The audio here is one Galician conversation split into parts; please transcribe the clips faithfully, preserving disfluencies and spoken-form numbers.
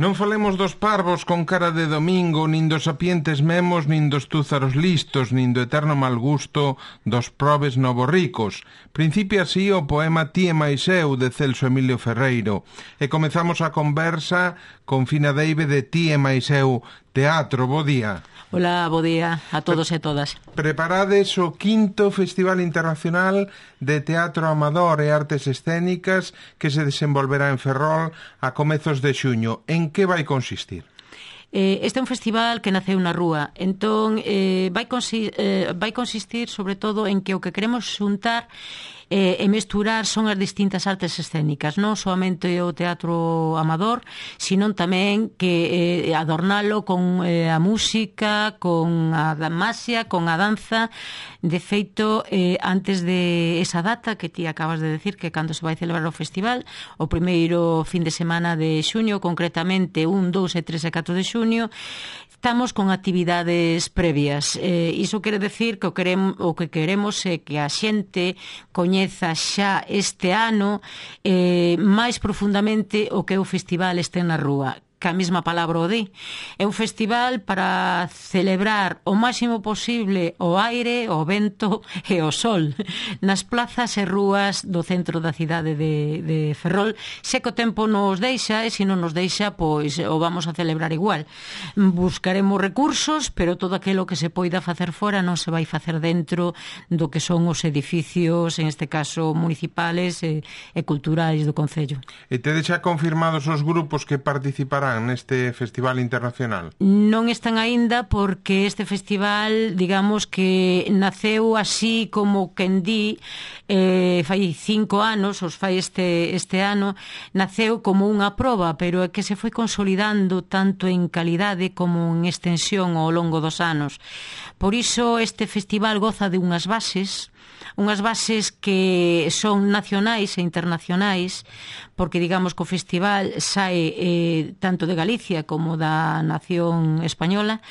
Non falemos dos parvos con cara de domingo, nin dos sapientes memos, nin dos túzaros listos, nin do eterno mal gusto dos probes novorricos. Principia así o poema Ti e máis eu, de Celso Emilio Ferreiro. E comezamos a conversa con Fina Deive de Ti e máis eu Teatro. Bo día. Hola, bo día a todos e todas. Preparades o quinto Festival Internacional de Teatro Amador e Artes Escénicas que se desenvolverá en Ferrol a comezos de xuño. En que vai consistir? Eh, este é un festival que naceu na rúa, entón eh, vai, consi eh, vai consistir sobre todo en que o que queremos xuntar eh, e mesturar son as distintas artes escénicas, non soamente o teatro amador, sino tamén que eh, adornalo con eh, a música, con a masia, con a danza. De feito, eh, antes de esa data que ti acabas de decir, que cando se vai celebrar o festival, o primeiro fin de semana de xuño, concretamente un, dous e tres e catro de xuño, estamos con actividades previas. Eh, iso quere decir que o, queremos, o que queremos é que a xente coñeza xa este ano eh, máis profundamente o que é o festival Este na Rúa, que a mesma palabra o di. É un festival para celebrar o máximo posible o aire, o vento e o sol nas plazas e rúas do centro da cidade de, de Ferrol. Se que o tempo nos deixa, e se non nos deixa, pois o vamos a celebrar igual. Buscaremos recursos, pero todo aquilo que se poida facer fora non se vai facer dentro do que son os edificios, en este caso municipales e, e culturais do Concello. E tedes xa confirmados os grupos que participarán neste festival internacional? Non están aínda porque este festival, digamos que naceu así como quen di, eh, fai cinco anos, os fai este, este ano, naceu como unha proba, pero é que se foi consolidando tanto en calidade como en extensión ao longo dos anos. Por iso este festival goza de unhas bases, unhas bases que son nacionais e internacionais, porque digamos que o festival sae eh, tanto de Galicia como da nación española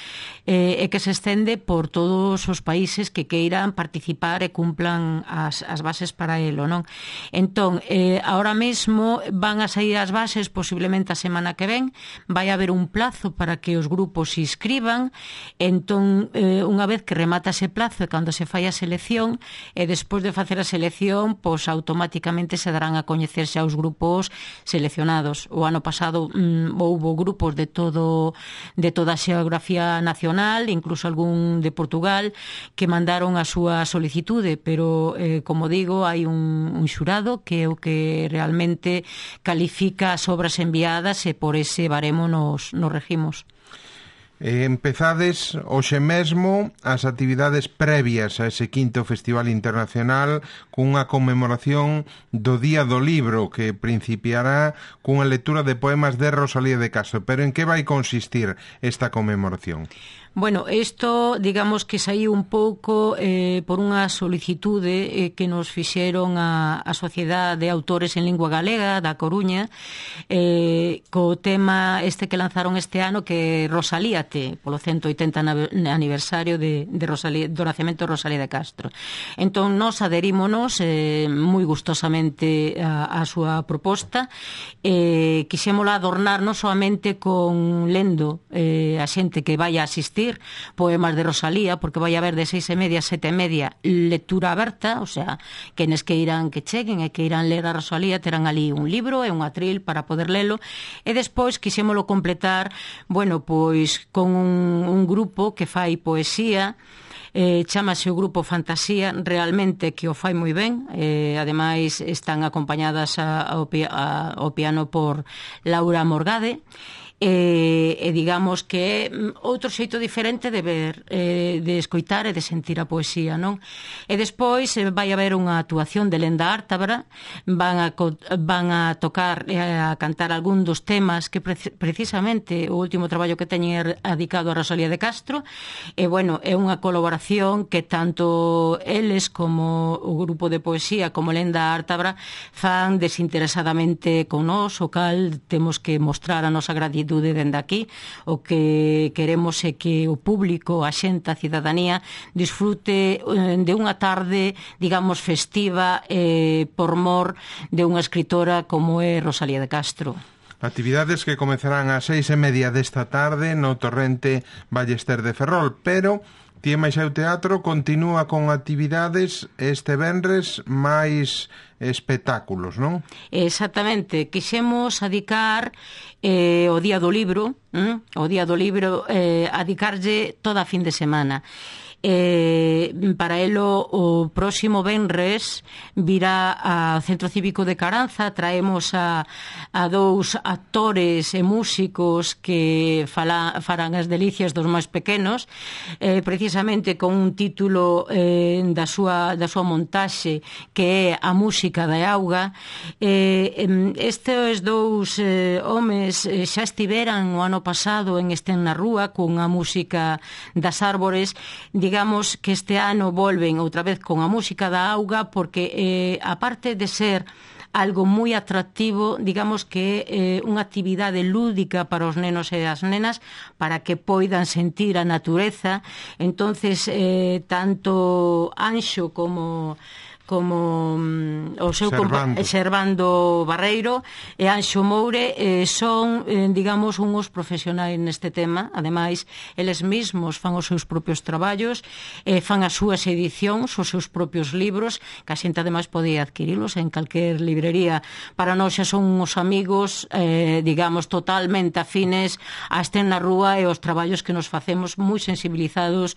eh, e que se estende por todos os países que queiran participar e cumplan as, as bases para elo, non? Entón, eh, ahora mesmo van a sair as bases posiblemente a semana que ven, vai haber un plazo para que os grupos se inscriban, entón, eh, unha vez que remata ese plazo e cando se fai a selección, e despois de facer a selección, pois automáticamente se darán a coñecer xa os grupos seleccionados. O ano pasado mm, houbo grupos de todo de toda a xeografía nacional, incluso algún de Portugal, que mandaron a súa solicitude, pero eh, como digo, hai un, un xurado que é o que realmente califica as obras enviadas e por ese baremo nos, nos regimos. Eh, empezades hoxe mesmo as actividades previas a ese quinto Festival Internacional cunha conmemoración do Día do Libro que principiará cunha lectura de poemas de Rosalía de Castro. Pero en que vai consistir esta conmemoración? Bueno, isto, digamos que saíu un pouco eh, por unha solicitude eh, que nos fixeron a, a Sociedade de Autores en Lingua Galega da Coruña eh, co tema este que lanzaron este ano, que Rosalíate, polo ciento oitenta aniversario de, de Rosalía, do nacemento de Rosalía de Castro. Entón, nos adherímonos eh, moi gustosamente a, a súa proposta. Eh, quixémola adornar non solamente con lendo eh, a xente que vai a asistir poemas de Rosalía, porque vai haber de seis e media a sete e media lectura aberta, o sea, quenes que irán que cheguen e que irán ler a Rosalía terán ali un libro e un atril para poder lelo, e despois quixémolo completar, bueno, pois con un, un grupo que fai poesía. Eh, chamase o grupo Fantasía, realmente que o fai moi ben, eh, ademais están acompañadas a, ao, a, ao piano por Laura Morgade. E, e digamos que é outro xeito diferente de ver, eh, de escoitar e de sentir a poesía, non? E despois eh, vai haber unha actuación de Lenda Ártabra, van a, van a tocar e a cantar algún dos temas que pre precisamente o último traballo que teñen é dedicado a Rosalía de Castro, e bueno, é unha colaboración que tanto eles como o grupo de poesía como Lenda Ártabra fan desinteresadamente con nós, o cal temos que mostrar a nosa gratitud dende aquí. O que queremos é que o público, a xente, a cidadanía disfrute de unha tarde, digamos, festiva eh, por mor de unha escritora como é Rosalía de Castro. Actividades que comezarán ás seis e media desta tarde no Torrente Ballester de Ferrol, pero Tía máis Seu Teatro continúa con actividades este venres máis espectáculos, non? Exactamente, quixemos adicar eh, o Día do Libro, hm? o Día do Libro, eh, adicarlle toda a fin de semana. Eh, para elo o próximo venres virá ao Centro Cívico de Caranza. Traemos a, a dous actores e músicos que fala, farán as delicias dos máis pequenos, eh, precisamente con un título eh, da, súa, da súa montaxe que é A Música da Auga. eh, estes dous eh, homes eh, xa estiveran o ano pasado en Estén na Rúa con a música das árbores. Digamos que este ano volven outra vez con a música da auga, porque eh, aparte de ser algo moi atractivo, digamos que é eh, unha actividade lúdica para os nenos e as nenas, para que poidan sentir a natureza. Entonces, eh, tanto Anxo como como um, o seu Servando. compa- Servando Barreiro e Anxo Moure eh, son, eh, digamos, unhos profesionais neste tema. Ademais, eles mesmos fan os seus propios traballos, eh, fan as súas edicións, os seus propios libros, que a xente ademais pode adquirilos en calquer librería. Para nós xa son uns amigos, eh, digamos, totalmente afines a Estén na Rúa e os traballos que nos facemos, moi sensibilizados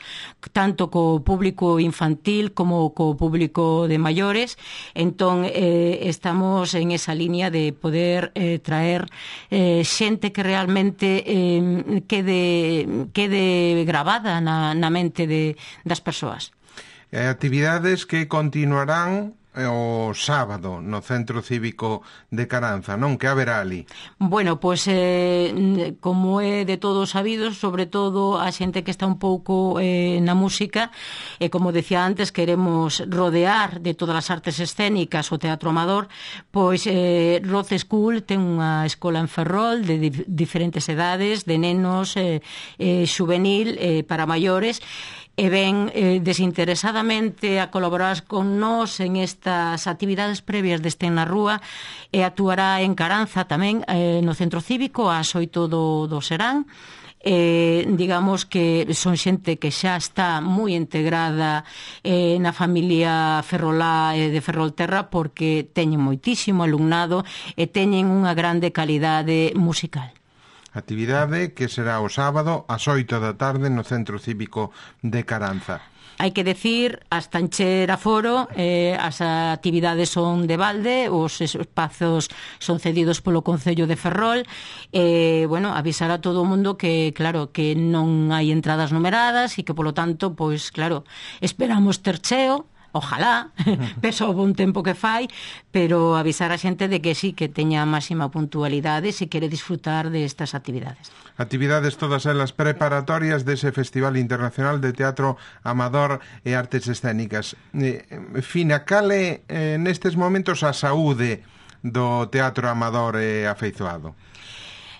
tanto co público infantil como co público de maiores. Entón, eh, estamos en esa línea de poder eh, traer eh, xente que realmente eh, quede, quede grabada na, na mente de, das persoas. E actividades que continuarán o sábado no Centro Cívico de Caranza, non? Que haberá ali? Bueno, pois eh, como é de todos sabidos, sobre todo a xente que está un pouco eh, na música, e como decía antes, queremos rodear de todas as artes escénicas o teatro amador. Pois eh, Roth School ten unha escola en Ferrol de dif- diferentes edades, de nenos, eh, eh, juvenil, eh, para maiores, e ven eh, desinteresadamente a colaborar con nós en estas actividades previas de Estén na Rúa, e actuará en Caranza tamén, eh, no Centro Cívico ás oito do, do serán. Eh, digamos que son xente que xa está moi integrada eh, na familia ferrolá e de Ferrolterra, porque teñen moitísimo alumnado e teñen unha grande calidade musical. Actividade que será o sábado ás oito da tarde no Centro Cívico de Caranza. Hai que decir, hasta encher aforo, eh, as actividades son de balde, os espazos son cedidos polo Concello de Ferrol. E, eh, bueno, avisar a todo o mundo que, claro, que non hai entradas numeradas e que, polo tanto, pois, claro, esperamos ter cheo. Ojalá, peso o bon tempo que fai, pero avisar a xente de que sí, que teña máxima puntualidade se quere disfrutar destas actividades. Actividades todas elas preparatorias dese Festival Internacional de Teatro Amador e Artes Escénicas. Eh, Fina, cale eh, nestes momentos a saúde do teatro amador e afeizoado?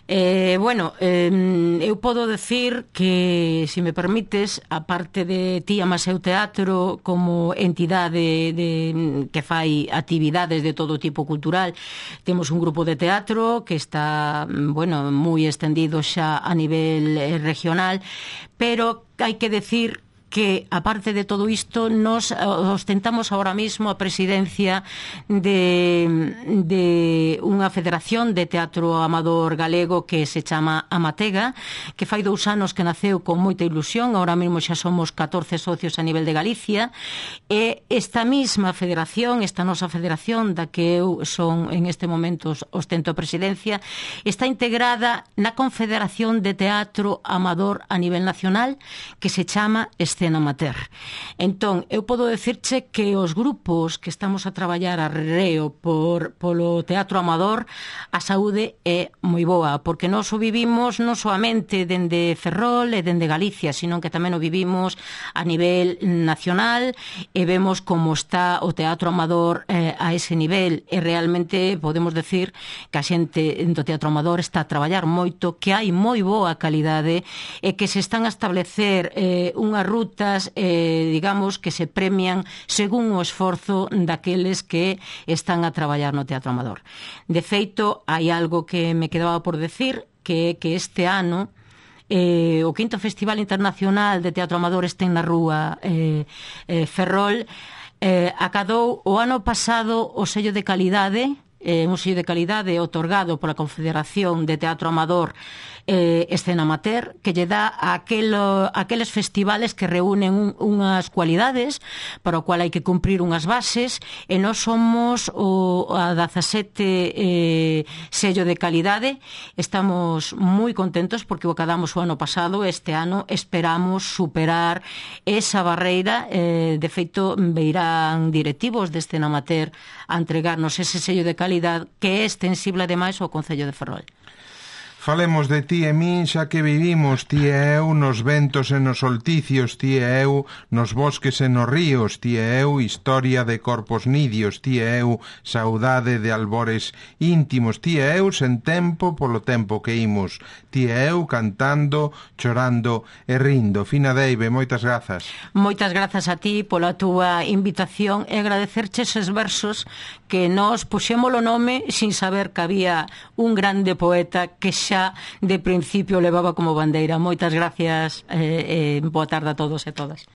Eh, bueno, eh, eu podo decir que, se me permites, a parte de Tía máis Seu Teatro como entidade de, que fai actividades de todo tipo cultural, temos un grupo de teatro que está, bueno, moi extendido xa a nivel eh, regional, pero hai que decir que, aparte de todo isto, nos ostentamos ahora mismo a presidencia de, de unha federación de teatro amador galego que se chama Amatega, que fai dous anos que naceu con moita ilusión. Ahora mesmo xa somos catorce socios a nivel de Galicia, e esta mesma federación, esta nosa federación da que eu son en este momento ostento a presidencia, está integrada na Confederación de Teatro Amador a nivel nacional, que se chama Escena Amateur. Entón, eu podo decirche que os grupos que estamos a traballar a reo por, polo teatro amador, a saúde é moi boa, porque nós o vivimos non soamente dende Ferrol e dende Galicia, sino que tamén o vivimos a nivel nacional, e vemos como está o teatro amador eh, a ese nivel, e realmente podemos decir que a xente do teatro amador está a traballar moito, que hai moi boa calidade, e que se están a establecer eh, unha ruta conductas, eh, digamos, que se premian según o esforzo daqueles que están a traballar no Teatro Amador. De feito, hai algo que me quedaba por decir, que é que este ano eh, o quinto Festival Internacional de Teatro Amador este na Rúa eh, eh, Ferrol eh, acadou o ano pasado o sello de calidade, eh, un sello de calidade otorgado pola Confederación de Teatro Amador eh, Escena Amateur, que lle dá a aquelo, aqueles festivales que reúnen un, unhas cualidades para o cual hai que cumprir unhas bases, e nós somos o a dezasete eh, sello de calidade. Estamos moi contentos porque o acadamos o ano pasado. Este ano esperamos superar esa barreira. Eh, de feito, veirán directivos de Escena Amateur a entregarnos ese sello de calidade que é extensible ademais ao Concello de Ferrol. Falemos de ti e min, xa que vivimos, ti e eu, nos ventos e nos solticios, ti e eu, nos bosques e nos ríos, ti e eu, historia de corpos nidios, ti e eu, saudade de albores íntimos, ti e eu, sen tempo polo tempo que imos, ti e eu, cantando, chorando e rindo. Fina Deive, moitas grazas. Moitas grazas a ti pola túa invitación e agradecerche eses versos que nós puxémolo nome sin saber que había un grande poeta que xa de principio levaba como bandeira. Moitas gracias e eh, eh, boa tarde a todos e todas.